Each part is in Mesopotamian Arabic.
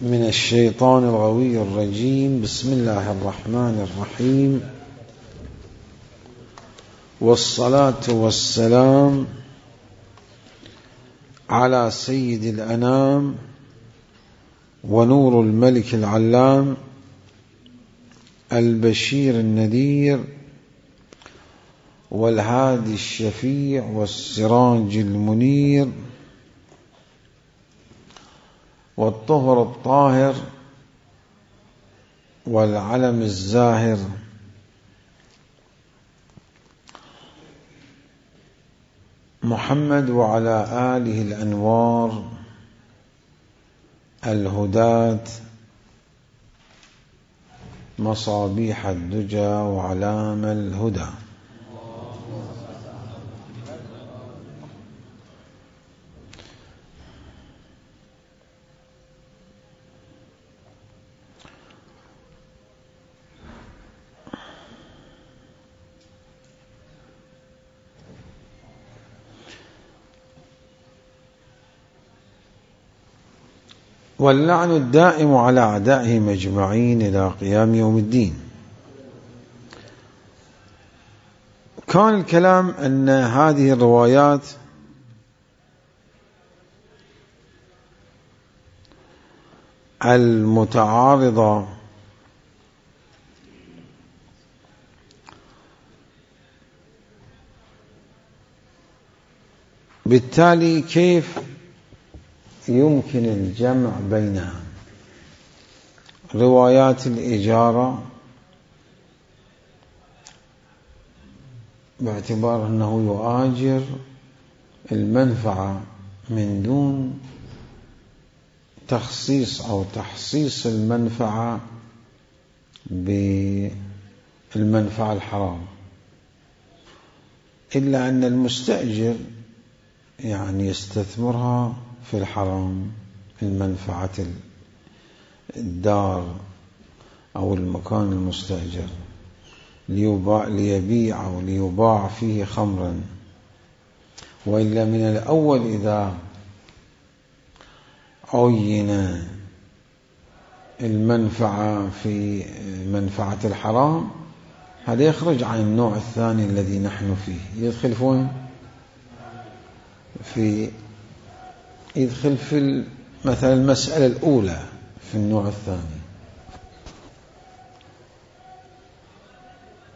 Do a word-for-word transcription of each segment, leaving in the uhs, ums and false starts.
من الشيطان الغوي الرجيم. بسم الله الرحمن الرحيم، والصلاة والسلام على سيد الأنام ونور الملك العلام البشير النذير والهادي الشفيع والسراج المنير والطهر الطاهر والعلم الزاهر محمد وعلى آله الأنوار الهداة مصابيح الدجى وعلام الهدى. واللعن الدائم على أعدائهم أجمعين إلى قيام يوم الدين. كان الكلام أن هذه الروايات المتعارضة بالتالي كيف يمكن الجمع بينها؟ روايات الإجارة باعتبار أنه يؤاجر المنفعة من دون تخصيص أو تحصيص المنفعة بالمنفعة الحرام، إلا أن المستأجر يعني يستثمرها في الحرام، المنفعة الدار أو المكان المستأجر ليبيع أو ليباع فيه خمرا. وإلا من الأول إذا عين المنفعة في منفعة الحرام هذا يخرج عن النوع الثاني الذي نحن فيه، يدخل فين؟ في يدخل في مثلا المسألة الأولى في النوع الثاني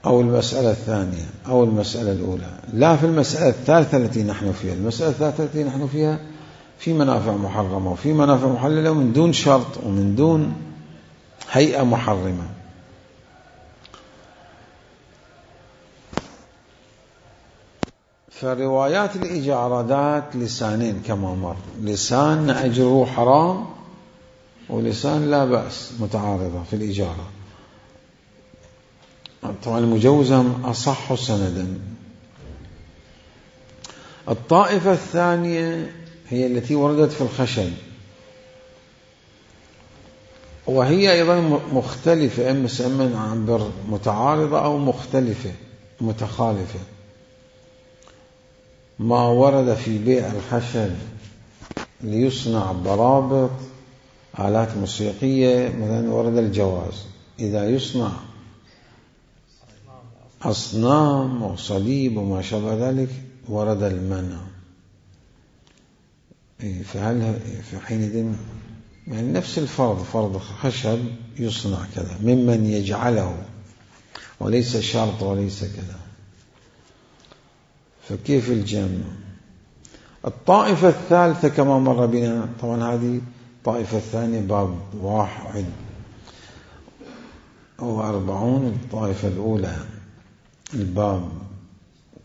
أو المسألة الثانية أو المسألة الأولى، لا في المسألة الثالثة التي نحن فيها. المسألة الثالثة التي نحن فيها في منافع محرمة وفي منافع محللة من دون شرط ومن دون هيئة محرمة. فروايات الإجارة ذات لسانين كما مر، لسان أجره حرام ولسان لا بأس، متعارضة في الإجارة. طبعا المجوزة أصح سندا. الطائفة الثانية هي التي وردت في الخشن، وهي أيضا مختلفة، إما سمن عبر متعارضة أو مختلفة متخالفة. ما ورد في بيع الخشب ليصنع برابط آلات موسيقية مثلا ورد الجواز، إذا يصنع أصنام وصليب وما شابه ذلك ورد المنع. فهل في حينئذ يعني نفس الفرض، فرض خشب يصنع كذا ممن يجعله وليس شرط وليس كذا، فكيف الجمع؟ الطائفة الثالثة كما مر بنا، طبعا هذه الطائفة الثانية باب واحد وأربعون، الطائفة الأولى الباب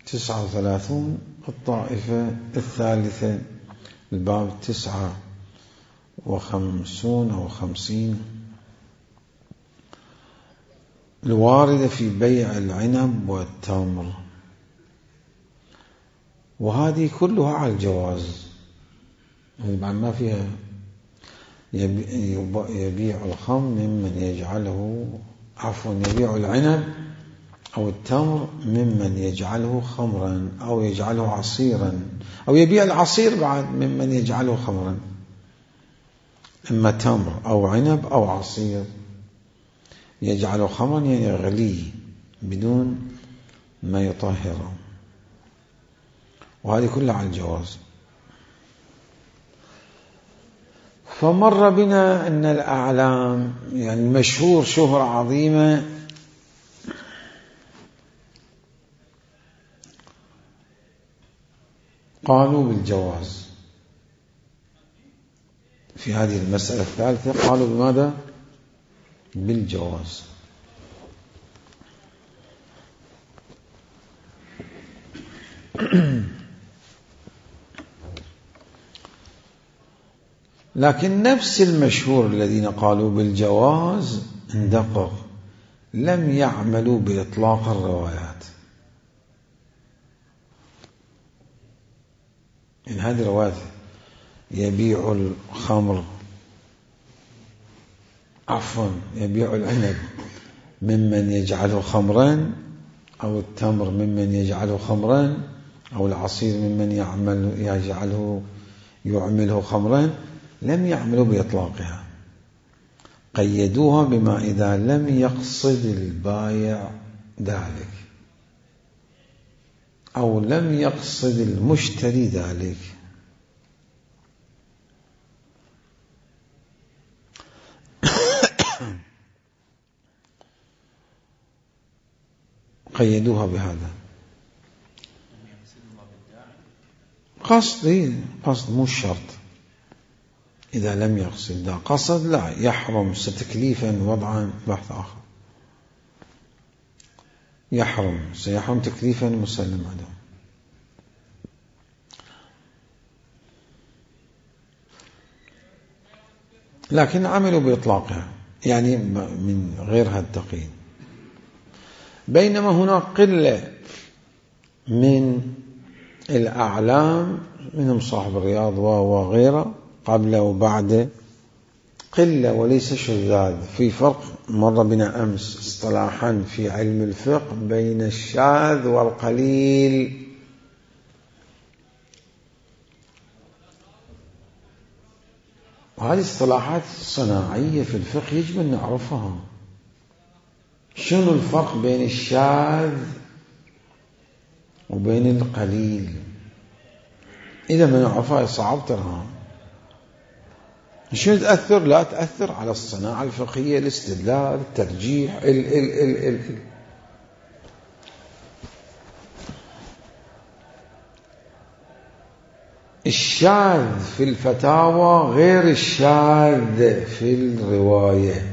تسعة وثلاثون، الطائفة الثالثة الباب تسعة وخمسون أو خمسين، الواردة في بيع العنب والتمر، وهذه كلها على الجواز، يعني ما فيها يبيع الخمر ممن يجعله عفوا يبيع العنب أو التمر ممن يجعله خمرا أو يجعله عصيرا، أو يبيع العصير بعد ممن يجعله خمرا. إما تمر أو عنب أو عصير يجعله خمرا يعني يغليه بدون ما يطهره، وهذه كلها على الجواز. فمر بنا أن الأعلام يعني المشهور شهرة عظيمة قالوا بالجواز. في هذه المسألة الثالثة قالوا بماذا؟ بالجواز. لكن نفس المشهور الذين قالوا بالجواز اندقق، لم يعملوا بإطلاق الروايات. إن هذه الروايات يبيع الخمر عفوا يبيع العنب ممن يجعله خمرا، أو التمر ممن يجعله خمرا، أو العصير ممن يعمل يجعله يعمله خمرا، لم يعملوا بإطلاقها، قيدوها بما إذا لم يقصد البائع ذلك أو لم يقصد المشتري ذلك. قيدوها بهذا قصد، قصد مو شرط. إذا لم يقصد، إذا قصد لا يحرم ستكليفا وضعا بحث آخر، يحرم سيحرم تكليفا مسلم عدم. لكن عملوا بإطلاقها يعني من غير هذا التقييد. بينما هناك قلة من الأعلام منهم صاحب الرياض وغيره قبل وبعد، قلة وليس شذاذ. في فرق مر بنا أمس اصطلاحا في علم الفقه بين الشاذ والقليل. وهذه اصطلاحات صناعية في الفقه يجب أن نعرفها. شنو الفرق بين الشاذ وبين القليل؟ إذا ما نعرفها صعب ترها. شنو تأثر؟ لا تأثر على الصناعة الفقهية، الاستدلال، الترجيح، ال ال ال ال ال. الشاذ في الفتاوى غير الشاذ في الرواية.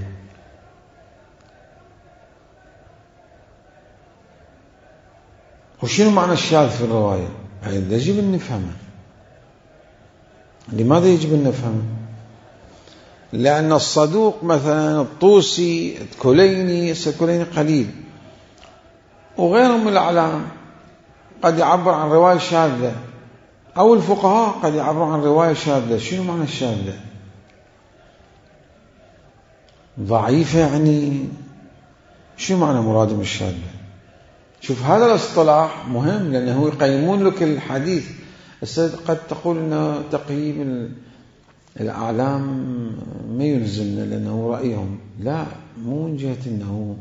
وشنو معنى الشاذ في الرواية؟ هذا يجب أن نفهمه. لماذا يجب أن نفهمه؟ لأن الصدوق مثلا الطوسي الكليني، الكليني قليل، وغيرهم من الأعلام قد يعبر عن رواية شاذة، أو الفقهاء قد يعبرون عن رواية شاذة. شنو معنى الشاذة؟ ضعيفة يعني شنو معنى مرادهم الشاذة؟ شوف هذا الاصطلاح مهم لأنه يقيمون لك الحديث. قد تقول أنه تقييم الأعلام ما يلزمنا لأنه رأيهم، لا، مو من جهة أنه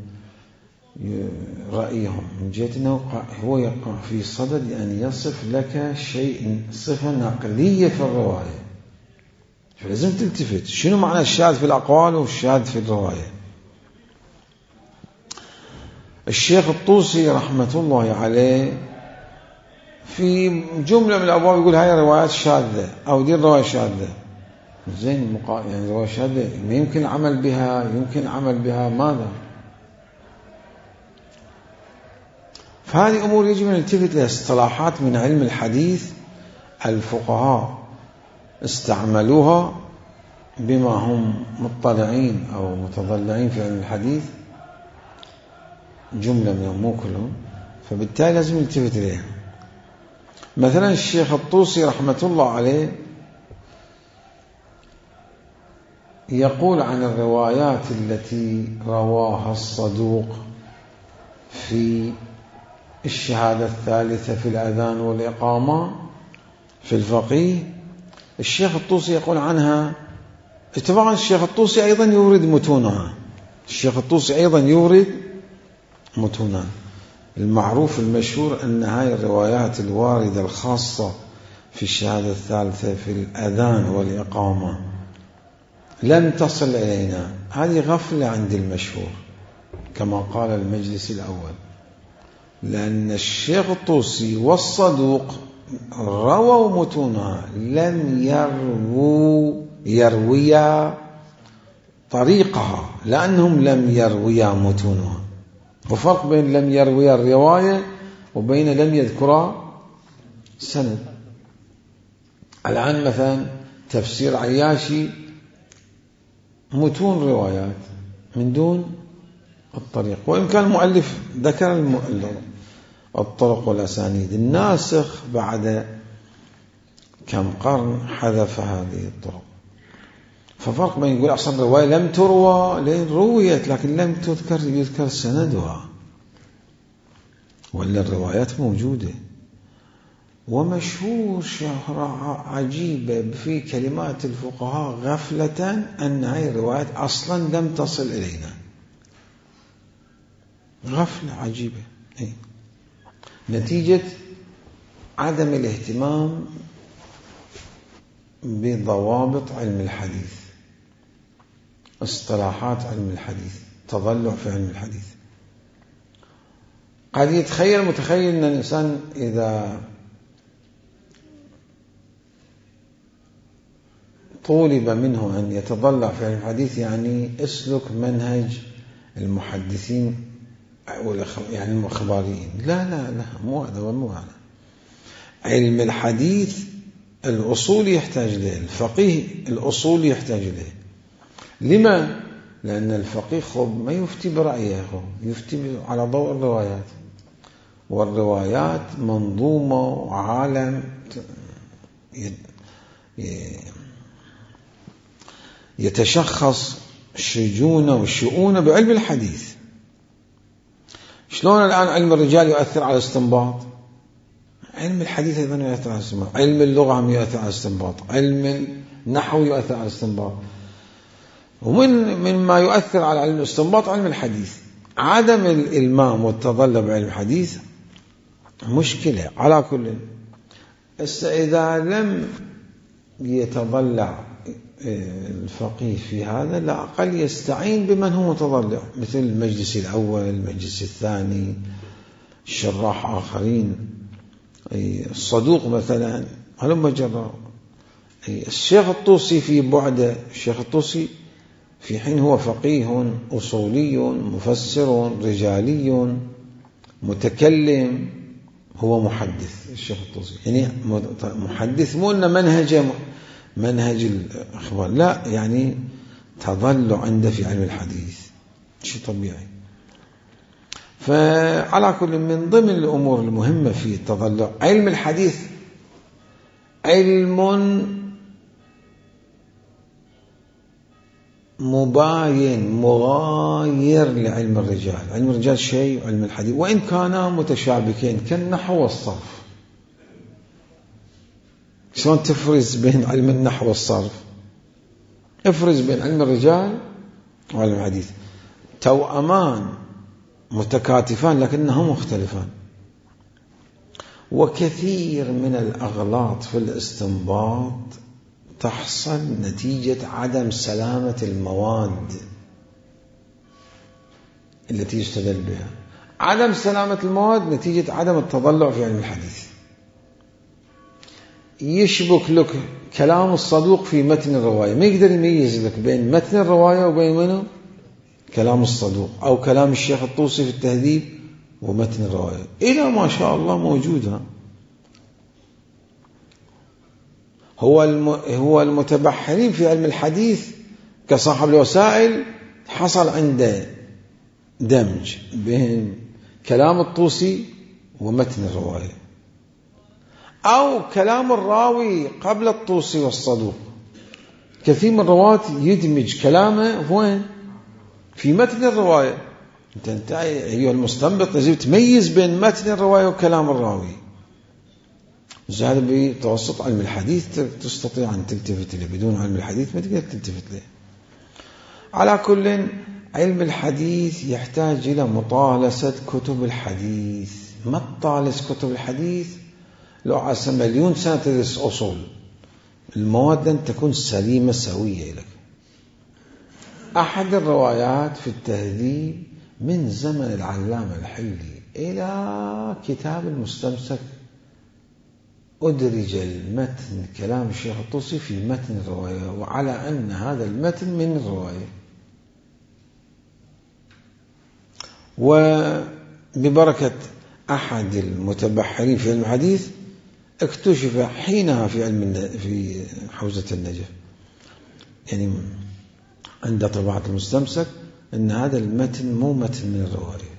رأيهم، من جهة أنه هو يقع في صدد أن يصف لك شيء صفة نقلية في الرواية، فلازم تلتفت شنو معنى الشاذ في الأقوال والشاذ في الرواية. الشيخ الطوسي رحمة الله عليه في جملة من الأبواب يقول هاي روايات شاذة أو دي الرواية شاذة. زين مقا... يعني رواية شاذة ما يمكن عمل بها، يمكن عمل بها ماذا؟ فهذه أمور يجب أن نلتفت لها. اصطلاحات من علم الحديث الفقهاء استعملوها بما هم مطلعين أو متضلعين في علم الحديث، جملة منهم مو كلهم، فبالتالي لازم نلتفت إليها. مثلا الشيخ الطوسي رحمة الله عليه يقول عن الروايات التي رواها الصدوق في الشهادة الثالثة في الأذان والإقامة في الفقيه، الشيخ الطوسي يقول عنها طبعا الشيخ الطوسي أيضا يورد متونها، الشيخ الطوسي أيضا يورد متونها. المعروف المشهور أن هاي الروايات الواردة الخاصة في الشهادة الثالثة في الأذان والإقامة لم تصل إلينا، هذه غفلة عند المشهور كما قال المجلس الأول، لأن الشيخ الطوسي والصدوق رووا متونها، لم يروا يرويا طريقها، لأنهم لم يرويا متونها. وفرق بين لم يرويا الرواية وبين لم يذكرا سند. الآن مثلا تفسير عياشي متون روايات من دون الطريق، وإن كان المؤلف ذكر الطرق والأسانيد، الناسخ بعد كم قرن حذف هذه الطرق. ففرق بين يقول أصلا رواية لم تروى، لين رويت لكن لم تذكر يذكر سندها، ولا الروايات موجودة. ومشهور شهرة عجيبة في كلمات الفقهاء غفلة أن هذه الروايات أصلا لم تصل إلينا، غفلة عجيبة. أي. نتيجة عدم الاهتمام بضوابط علم الحديث، اصطلاحات علم الحديث، تضلع في علم الحديث. قد يتخيل متخيل أن الإنسان إذا طولب منه أن يتضلع في علم الحديث يعني اسلك منهج المحدثين يعني المخباريين. لا لا لا، مو هذا ومو هذا. علم الحديث الأصول يحتاج له، الفقيه الأصول يحتاج له. لما؟ لأن الفقيه خب ما يفتي برأيه، يفتي على ضوء الروايات، والروايات منظومة وعالم يتشخص شجونه وشؤونه بعلم الحديث. شلون الآن علم الرجال يؤثر على الاستنباط؟ علم الحديث أيضا يؤثر على الاستنباط، علم اللغة هم يؤثر على الاستنباط، علم النحو يؤثر على الاستنباط، ومن مما يؤثر على علم الاستنباط علم الحديث. عدم الإلمام والتضلع بعلم الحديث مشكلة. على كل إذا لم يتضلع الفقيه في هذا، لا أقل يستعين بمن هو متضلع، مثل المجلس الأول، المجلس الثاني، شراح آخرين، الصدوق مثلا، هلما جرى. الشيخ الطوسي في بعده، الشيخ الطوسي في حين هو فقيه أصولي مفسر رجالي متكلم، هو محدث. الشيخ الطوسي يعني محدث، مو أن منهج منهج الأخبار، لا، يعني تضلع عنده في علم الحديث شيء طبيعي. فعلى كل، من ضمن الأمور المهمة في التضلع علم الحديث علم مباين مغاير لعلم الرجال. علم الرجال شيء وعلم الحديث وإن كانا متشابكين كالنحو والصرف. شلون تفرز بين علم النحو والصرف؟ افرز بين علم الرجال وعلم الحديث، توأمان متكاتفان لكنهم مختلفان. وكثير من الأغلاط في الاستنباط تحصل نتيجة عدم سلامة المواد التي يستدل بها. عدم سلامة المواد نتيجة عدم التضلع في علم الحديث. يشبك لك كلام الصدوق في متن الرواية، ما يقدر يميز لك بين متن الرواية وبين منه كلام الصدوق، أو كلام الشيخ الطوسي في التهذيب ومتن الرواية. إلى ما شاء الله موجودة. هو هو المتبحرين في علم الحديث كصاحب الوسائل حصل عنده دمج بين كلام الطوسي ومتن الرواية، أو كلام الراوي قبل الطوسي والصدوق. كثير من الرواة يدمج كلامه وين؟ في متن الرواية. أنت أنت أيها المستنبط لازم تميز بين متن الرواية وكلام الراوي. زاد بتوسط علم الحديث تستطيع أن تلتفت له، بدون علم الحديث ما تقدر تلتفت له. على كل، علم الحديث يحتاج إلى مطالسة كتب الحديث. ما تطالس كتب الحديث لو عسى مليون سنة تدرس أصول، المواد لن تكون سليمة سوية لك. أحد الروايات في التهذيب من زمن العلامة الحلي إلى كتاب المستمسك أدرج المتن كلام الشيخ الطوسي في متن الرواية، وعلى أن هذا المتن من الرواية. وببركة أحد المتبحرين في علم الحديث اكتشف حينها في علم في حوزة النجف، يعني عند طباعة المستمسك، أن هذا المتن مو متن من الرواية.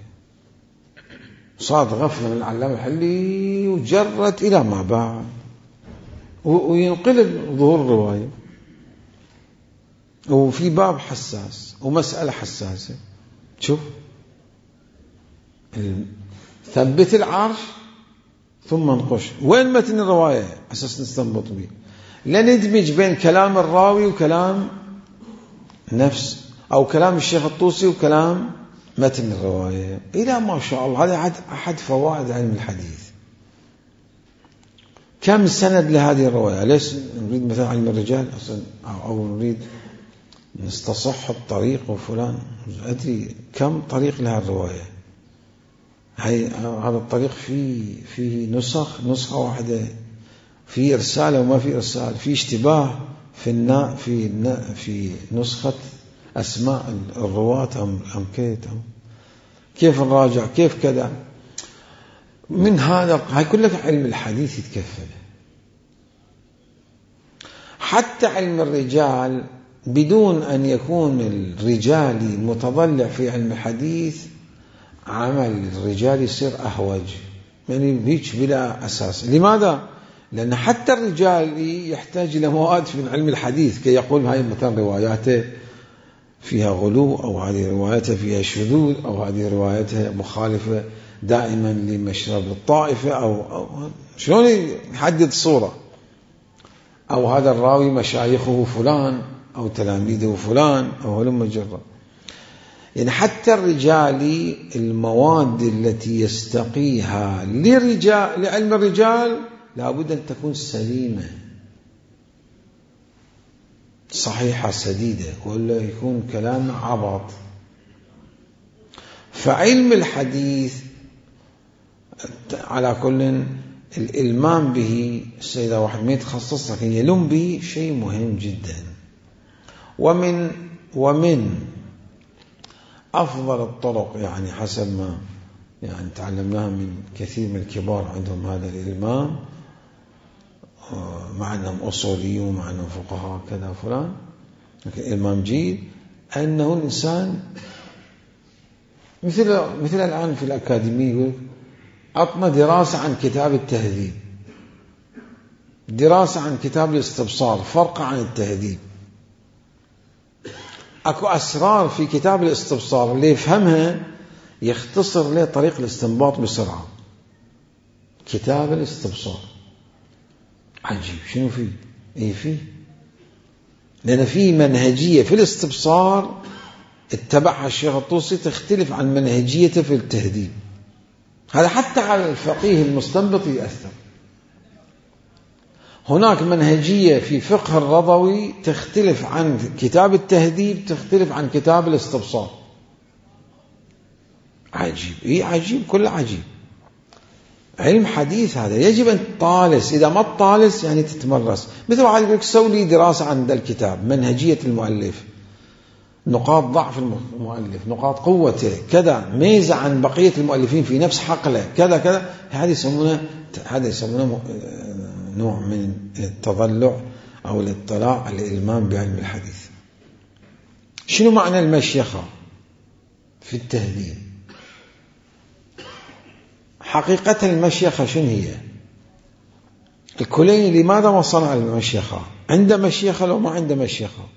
صاد غفلة من العلامة الحلي وجرت إلى ما بعد، وينقلب ظهور الرواية. وفي باب حساس ومسألة حساسة، شوف، ثبت العرش ثم انقش، وين متن الرواية أساس نستنبط به؟ لا ندمج بين كلام الراوي وكلام نفس، أو كلام الشيخ الطوسي وكلام متن الرواية. إلى ما شاء الله، هذا أحد فوائد علم الحديث. كم سند لهذه الرواية؟ ليش نريد مثلا علم الرجال أصلا، أو نريد نستصح الطريق وفلان، أدري كم طريق لها الرواية. هاي هذا الطريق فيه فيه نسخ، نسخة واحدة، في إرسال وما في إرسال، في اشتباه في النا في النا في نسخة أسماء الرواة أم أم كيت أم كيف نراجع، كيف كذا. من هذا هاي كلها علم الحديث يتكفل. حتى علم الرجال بدون أن يكون الرجالي متضلع في علم الحديث، عمل الرجال يصير أهوج، يعني بيش بلا أساس. لماذا؟ لأن حتى الرجال يحتاج إلى مواد من علم الحديث كي يقول هاي مثلا رواياته فيها غلو، أو هذه رواياته فيها شذوذ، أو هذه رواياته مخالفة دائما لمشرب الطائفة، أو, أو شلون يحدد الصورة، أو هذا الراوي مشايخه فلان أو تلاميذه فلان أو هلم جرا. يعني حتى الرجال المواد التي يستقيها لرجال لعلم الرجال لابد أن تكون سليمة صحيحة سديدة، ولا يكون كلام عبط. فعلم الحديث على كل الإلمام به، السيدة واحد ما يتخصص لكن يلم به شيء مهم جدا. ومن ومن أفضل الطرق، يعني حسب ما يعني تعلمناها من كثير من الكبار عندهم هذا الإلمام، مع أنهم أصوليون مع أنهم فقهاء كذا فلان، لكن إلمام جيد، أنه الإنسان مثل مثل الآن في الأكاديمية يقول أطنى دراسة عن كتاب التهذيب، دراسة عن كتاب الاستبصار، فرق عن التهذيب. أكو أسرار في كتاب الاستبصار اللي يفهمها يختصر له طريق الاستنباط بسرعة. كتاب الاستبصار عجيب، شنو فيه؟ إيه فيه؟ لأن فيه منهجية في الاستبصار اتبعها الشيخ الطوسي تختلف عن منهجيته في التهذيب. هذا حتى على الفقيه المستنبط يأثر. هناك منهجية في فقه الرضوي تختلف عن كتاب التهذيب، تختلف عن كتاب الاستبصار. عجيب، إيه عجيب، كل عجيب. علم حديث هذا يجب أن تطالس، إذا ما تطالس يعني تتمرس. مثل واحد يقول لك سوي لي دراسة عن ذا الكتاب، منهجية المؤلف، نقاط ضعف المؤلف، نقاط قوته، كذا، ميزة عن بقية المؤلفين في نفس حقله، كذا كذا. هذا يسمونه هذا يسمونه نوع من التضلع أو الاطلاع على الإلمام بعلم الحديث. شنو معنى المشيخة في التهذيب؟ حقيقة المشيخة شنو هي؟ الكليني لماذا ما صنع المشيخة؟ عنده مشيخة لو ما عنده مشيخة؟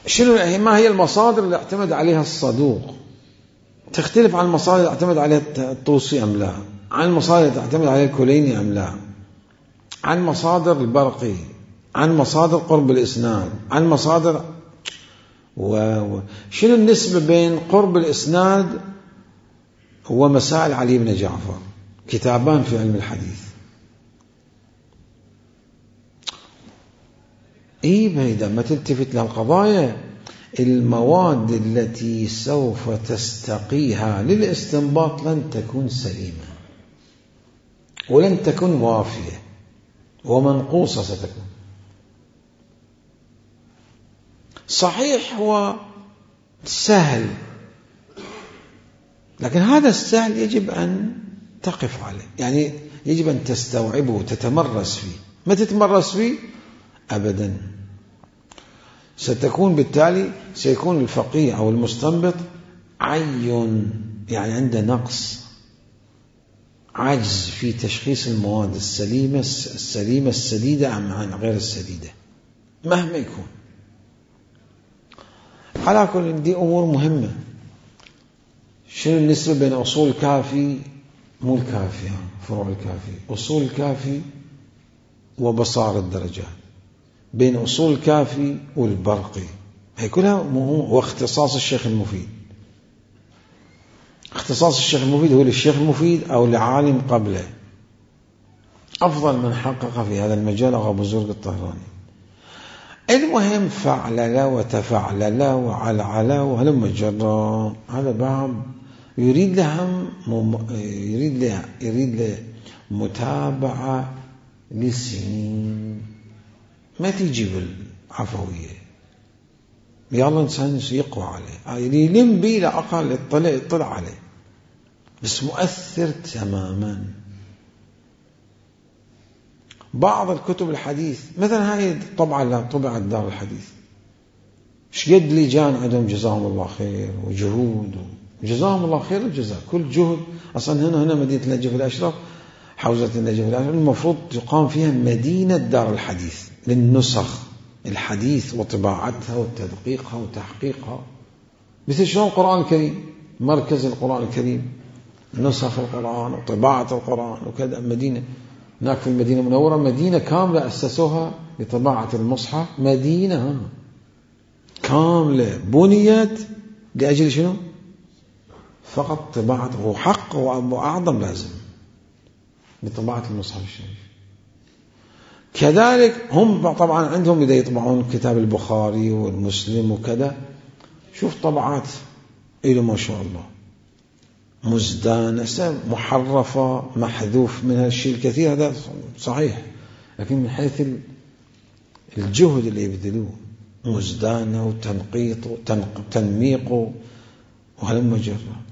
شنو ما هي المصادر اللي اعتمد عليها الصدوق؟ تختلف عن المصادر اللي اعتمد عليها الطوسي أم لا؟ عن مصادر تعتمد عليه الكليني أم لا، عن مصادر البرقي، عن مصادر قرب الإسناد، عن مصادر و... شنو النسبة بين قرب الإسناد ومسائل علي بن جعفر؟ كتابان في علم الحديث. إيه إذا ما تلتفت للقضايا، المواد التي سوف تستقيها للاستنباط لن تكون سليمة ولن تكون وافية ومنقوصة ستكون. صحيح هو سهل، لكن هذا السهل يجب أن تقف عليه، يعني يجب أن تستوعبه وتتمرس فيه. ما تتمرس فيه أبدا ستكون بالتالي سيكون الفقيه أو المستنبط عين، يعني عنده نقص، عجز في تشخيص المواد السليمة السليمة السديدة عن غير السديدة مهما يكون. على كل دي أمور مهمة. شنو النسبة بين أصول الكافي، مو الكافي، فروع الكافي، أصول الكافي وبصار الدرجات، بين أصول الكافي والبرقي، هي كلها واختصاص الشيخ المفيد. اختصاص الشيخ المفيد هو للشيخ المفيد أو لعالم قبله. أفضل من حقق في هذا المجال أبو زرق الطهراني. المهم فعلل وتفعلل وعلعل وهلم جرا، هذا باب يريد لهم يريد له يريد له متابعة للسنين، ما تيجي بالعفوية. يلا إنسان يقوى عليه، يلم بيه لأقل يطلع يطلع عليه، بس مؤثر تماما. بعض الكتب الحديث مثلا هاي طبعا لا طبعت دار الحديث، شقد لجان عندهم جزاهم الله خير وجهود، جزاهم الله خير الجزاء، كل جهد. أصلا هنا هنا مدينة النجف الأشرف، حوزة النجف الأشرف المفروض تقام فيها مدينة دار الحديث للنسخ الحديث وطباعتها وتدقيقها وتحقيقها، مثل شلون القرآن الكريم، مركز القرآن الكريم، نسخ القرآن وطباعة القرآن وكذا. مدينة هناك في المدينة المنورة مدينة كاملة أسسوها لطباعة المصحف، مدينة كاملة بنيت لأجل شنو؟ فقط طباعة، وحق وأعظم لازم بطباعة المصحف الشريف. كذلك هم طبعا عندهم إذا يطبعون كتاب البخاري والمسلم وكذا، شوف طبعات إلى ما شاء الله مزدانة محرفة محذوف منها الشيء الكثير، هذا صحيح، لكن من حيث الجهد اللي يبذلوه مزدانة وتنقيط وتنميق وهلم جرا،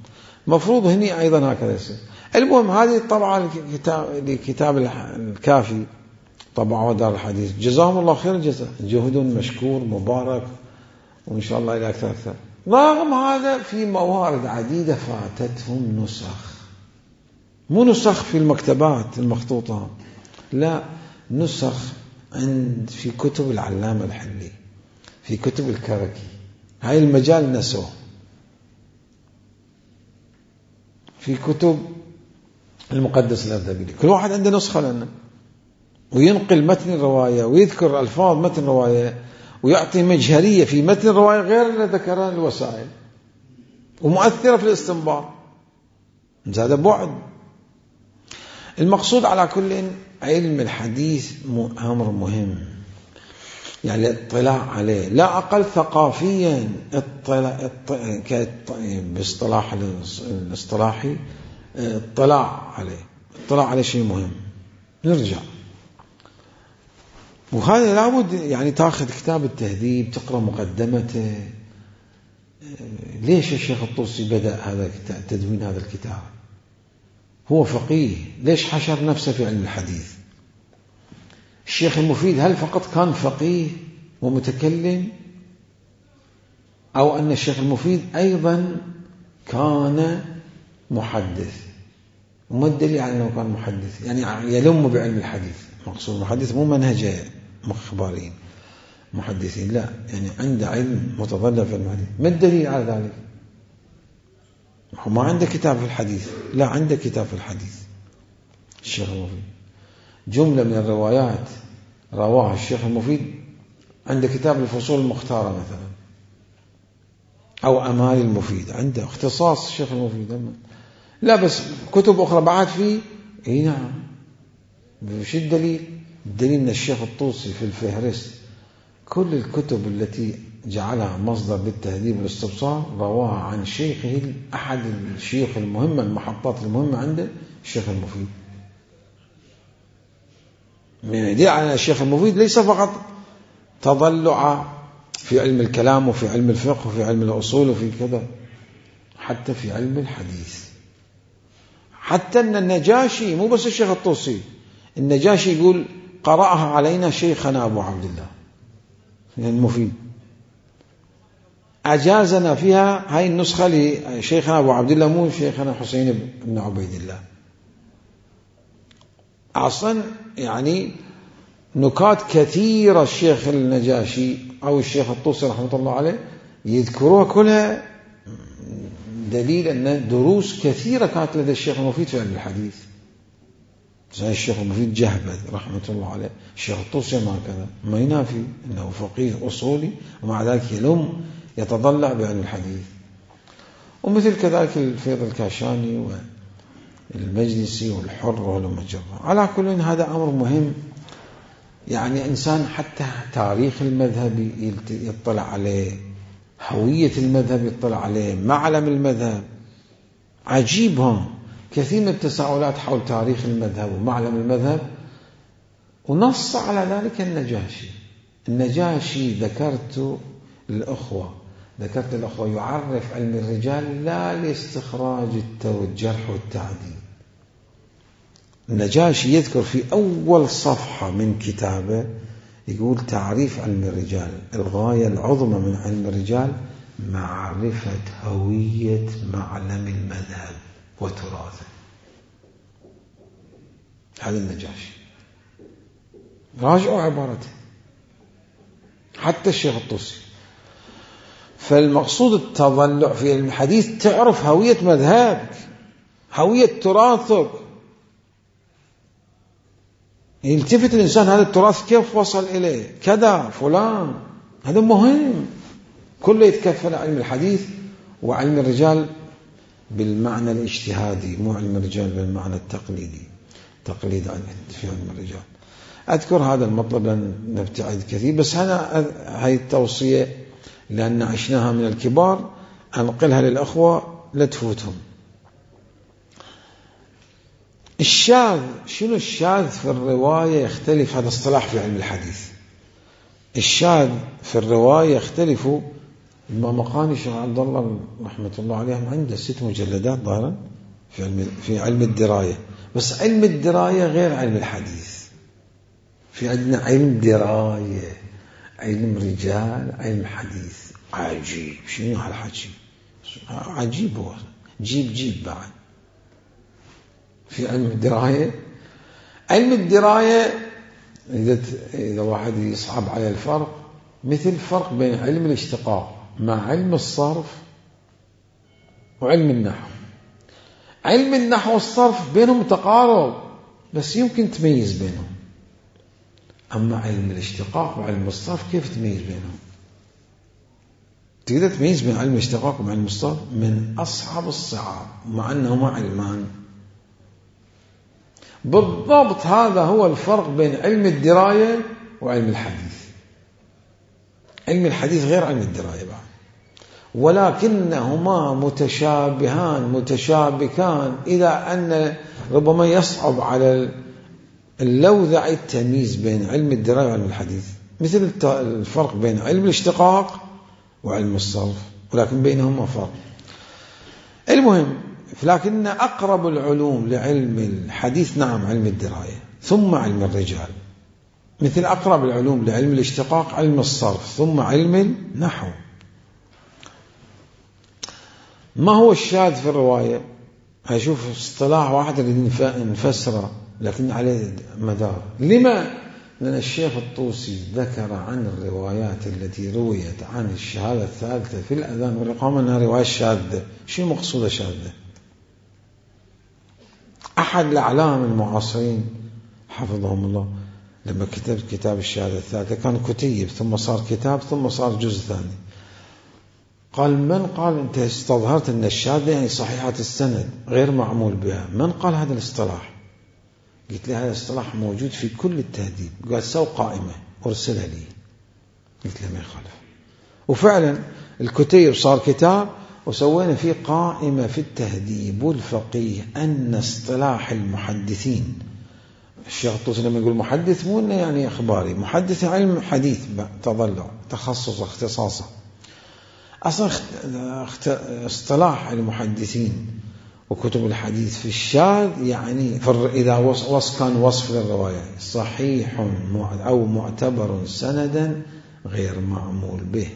مفروض هني أيضا هكذا يصير. المهم هذه طبعا لكتاب الكافي طبعا دار الحديث، جزاهم الله خير الجزاء، جهد مشكور مبارك وإن شاء الله إلى أكثر أكثر. رغم هذا في موارد عديدة فاتتهم نسخ، مو نسخ في المكتبات المخطوطة، لا، نسخ عند في كتب العلامة الحلي، في كتب الكركي، هاي المجال نسوه، في كتب المقدس الأردبيلي، كل واحد عنده نسخة لنا، وينقل متن الرواية ويذكر ألفاظ متن الرواية ويعطي مجهرية في متن الرواية غير اللي ذكرها الوسائل، ومؤثرة في الاستنباط. هذا بعد. المقصود على كل علم الحديث أمر مهم، يعني الاطلاع عليه لا أقل ثقافيا، اطلاع باصطلاح الاصطلاحي اطلاع عليه، اطلاع عليه شيء مهم. نرجع، وهذا لابد يعني تاخذ كتاب التهذيب تقرأ مقدمته. ليش الشيخ الطوسي بدأ هذا الكتاب، تدوين هذا الكتاب؟ هو فقيه، ليش حشر نفسه في علم الحديث؟ الشيخ المفيد هل فقط كان فقيه ومتكلم، أو أن الشيخ المفيد أيضا كان محدث؟ وما الدليل على أنه كان محدث؟ يعني يلم بعلم الحديث، مقصود محدث مو منهج مخبارين محدثين، لا، يعني عنده علم متضلع في الحديث. ما الدليل على ذلك؟ هو ما عنده كتاب في الحديث، لا، عنده كتاب في الحديث الشيخ المفيد. جملة من الروايات رواها الشيخ المفيد عند كتاب الفصول المختارة مثلا، أو أمال المفيد، عنده اختصاص الشيخ المفيد. لا بس كتب أخرى بعد فيه، إيه نعم. وش الدليل؟ الدليل من الشيخ الطوسي في الفهرست كل الكتب التي جعلها مصدر للتهذيب والاستبصار رواها عن شيخه، أحد الشيوخ المهمة، المحطات المهمة عنده الشيخ المفيد. يدل على الشيخ المفيد ليس فقط تضلع في علم الكلام وفي علم الفقه وفي علم الأصول وفي كذا، حتى في علم الحديث. حتى أن النجاشي، مو بس الشيخ الطوسي، النجاشي يقول قرأها علينا شيخنا أبو عبد الله المفيد، أجازنا فيها هاي النسخة لشيخنا أبو عبد الله، مو شيخنا حسين بن عبيد الله. أصلا يعني نكات كثيرة الشيخ النجاشي أو الشيخ الطوسي رحمة الله عليه يذكروها كلها دليل أن دروس كثيرة كانت لدى الشيخ المفيد في علم الحديث. زي الشيخ المفيد جهبذ رحمة الله عليه، الشيخ الطوسي ما كذا، ما ينافي أنه فقيه أصولي ومع ذلك يلم يتضلع بعلم الحديث. ومثل كذلك الفيض الكاشاني والمجلسي والحر والمجرى. على كل هذا أمر مهم، يعني إنسان حتى تاريخ المذهب يطلع عليه، هوية المذهب يطلع عليه، معلم المذهب. عجيب هم كثير من التساؤلات حول تاريخ المذهب ومعلم المذهب، ونص على ذلك النجاشي. النجاشي ذكرت الأخوة ذكرت الأخوة يعرف علم الرجال لا لاستخراج الجرح والتعديل. النجاشي يذكر في أول صفحة من كتابه يقول تعريف علم الرجال، الغاية العظمى من علم الرجال معرفة هوية معلم المذهب وتراثه. هذا النجاشي، راجعوا عبارته، حتى الشيخ الطوسي. فالمقصود التضلع في علم الحديث تعرف هوية مذهبك، هوية تراثك، يلتفت الإنسان هذا التراث كيف وصل إليه كذا فلان. هذا مهم، كله يتكفل علم الحديث وعلم الرجال بالمعنى الاجتهادي، مو علم الرجال بالمعنى التقليدي، تقليد في علم الرجال. أذكر هذا المطلب لن نبتعد كثير، بس هذا هاي التوصية لأن عشناها من الكبار أنقلها للأخوة لا تفوتهم. الشاذ، شنو الشاذ في الرواية؟ يختلف، هذا اصطلاح في علم الحديث. الشاذ في الرواية يختلف. المقاني الشيخ عبد الله رحمة الله عليه عنده ست مجلدات ظاهرا في علم في علم الدراية، بس علم الدراية غير علم الحديث. في عندنا علم دراية، علم رجال، علم حديث. عجيب، شنو هالحكي؟ عجيب، هو جيب جيب بعد في علم الدراية. علم الدراية إذا إذا واحد يصعب على الفرق، مثل الفرق بين علم الاشتقاق مع علم الصرف وعلم النحو. علم النحو والصرف بينهم تقارب، بس يمكن تميز بينهم. أما علم الاشتقاق وعلم الصرف كيف تميز بينهم؟ تقدر تميز بين علم الاشتقاق وعلم الصرف من أصعب الصعاب، مع أنهما علمان. بالضبط هذا هو الفرق بين علم الدراية وعلم الحديث. علم الحديث غير علم الدراية بعد، ولكنهما متشابهان متشابكان إلى أن ربما يصعب على اللوذع التمييز بين علم الدراية وعلم الحديث، مثل الفرق بين علم الاشتقاق وعلم الصرف، ولكن بينهما فرق. المهم، لكن أقرب العلوم لعلم الحديث نعم علم الدراية، ثم علم الرجال. مثل أقرب العلوم لعلم الاشتقاق علم الصرف، ثم علم النحو. ما هو الشاذ في الرواية؟ هشوف اصطلاح واحد اللي نفسره لكن عليه مدار. لما؟ لأن الشيخ الطوسي ذكر عن الروايات التي رويت عن الشهادة الثالثة في الأذان والإقامة أنها رواية شاذة. شو مقصود شاذة؟ أحد الأعلام المعاصرين حفظهم الله لما كتب كتاب الشهادة الثالثة كان كتيب ثم صار كتاب ثم صار جزء ثاني. قال من قال أنت استظهرت أن الشهادة يعني صحيحة السند غير معمول بها؟ من قال هذا الاصطلاح؟ قلت له هذا الاصطلاح موجود في كل التهذيب. قال سو قائمة أرسلها لي. قلت له ما يخالف. وفعلا الكتيب صار كتاب وسوينا فيه قائمة في التهذيب والفقيه أن اصطلاح المحدثين. الشيخ الطوسي لما يقول محدث مو إنه يعني أخباري، محدث علم حديث تضلع تخصص اختصاصه. أصلا اصطلاح المحدثين وكتب الحديث في الشاذ يعني إذا وص كان وصف للرواية صحيح أو معتبر سندا غير معمول به.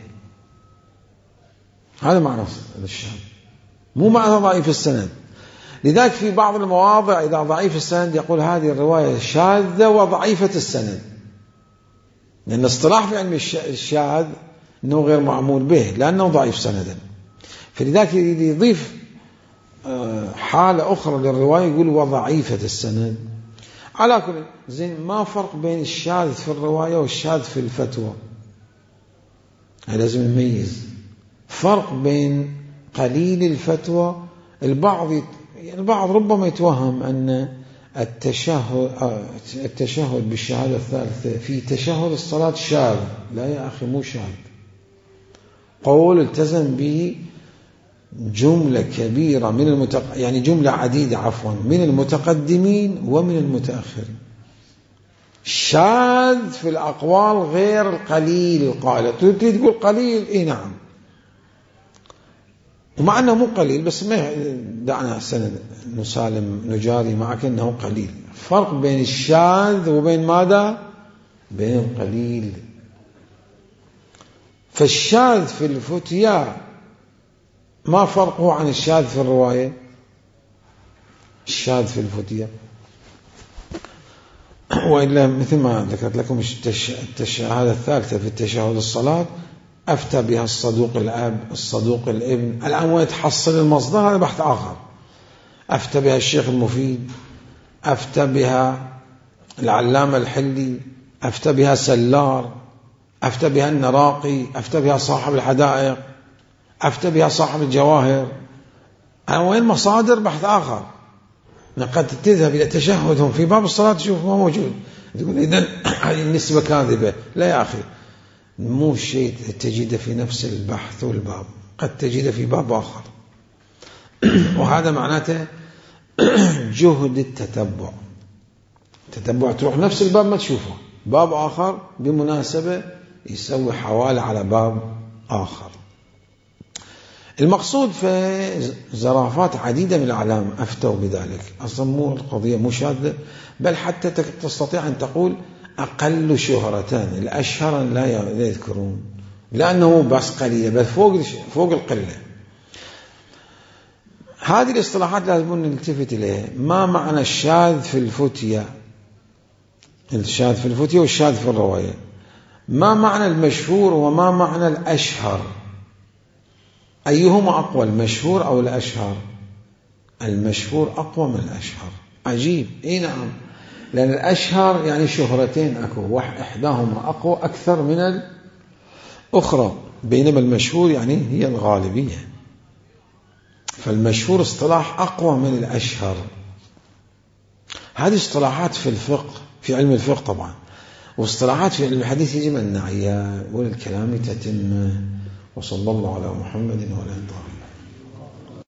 هذا معنى الشاذ، مو معنى ضعيف السند. لذلك في بعض المواضع إذا ضعيف السند يقول هذه الرواية شاذة وضعيفة السند، لأن اصطلاح في علم الشاذ أنه غير معمول به لأنه ضعيف سندا. فلذلك يضيف حالة أخرى للرواية يقول وضعيفة السند. على كل زين ما فرق بين الشاذ في الرواية والشاذ في الفتوى؟ لازم نميز فرق بين قليل الفتوى. البعض البعض ربما يتوهم أن التشهد التشهد بالشهادة الثالثة في تشهد الصلاة شاذ. لا يا أخي مو شاذ، قول التزم به جملة كبيرة من المتق... يعني جملة عديدة عفوا من المتقدمين ومن المتأخرين. شاذ في الأقوال غير القليل القائل. تريد تقول قليل إيه نعم، ومع أنه مو قليل بس ما دعنا سنة نسالم نجاري معك أنه قليل. فرق بين الشاذ وبين ماذا؟ بين القليل. فالشاذ في الفتيا ما فرقه عن الشاذ في الرواية؟ الشاذ في الفتيا وإلا مثل ما ذكرت لكم الشهادة الثالثة في التشهد الصلاة أفتى بها الصدوق الأب الصدوق الابن. الآن وين تحصل المصدر؟ هذا بحث آخر. أفتى بها الشيخ المفيد، أفتى بها العلامة الحلي، أفتى بها سلار، أفتى بها النراقي، أفتى بها صاحب الحدائق، أفتى بها صاحب الجواهر. الآن وين مصادر؟ بحث آخر. قد تذهب إلى تشهدهم في باب الصلاة تشوف ما موجود، تقول إذن هذه النسبة كاذبة. لا يا أخي، مو شيء تجد في نفس البحث والباب، قد تجد في باب آخر. وهذا معناته جهد التتبع. تتبع تروح نفس الباب ما تشوفه، باب آخر بمناسبة يسوي حوالة على باب آخر. المقصود في زرافات عديدة من الأعلام أفتوا بذلك. أصلا مو القضية مو شاذة، بل حتى تستطيع أن تقول أقل شهرتان الأشهر لا يذكرون، لأنه بس قليلة بل فوق فوق القلة. هذه الاصطلاحات لازم نلتفت إليها. ما معنى الشاذ في الفتية؟ الشاذ في الفتية والشاذ في الرواية. ما معنى المشهور وما معنى الأشهر؟ أيهما أقوى، المشهور أو الأشهر؟ المشهور أقوى من الأشهر. عجيب. إيه نعم، لأن الأشهر يعني شهرتين أكو، إحداهما أقوى أكثر من الأخرى، بينما المشهور يعني هي الغالبية. فالمشهور اصطلاح أقوى من الأشهر. هذه اصطلاحات في الفقه، في علم الفقه طبعا، واصطلاحات في علم الحديث يجب أن نعيها وللكلام تتم. وصلى الله على محمد وعلى آله.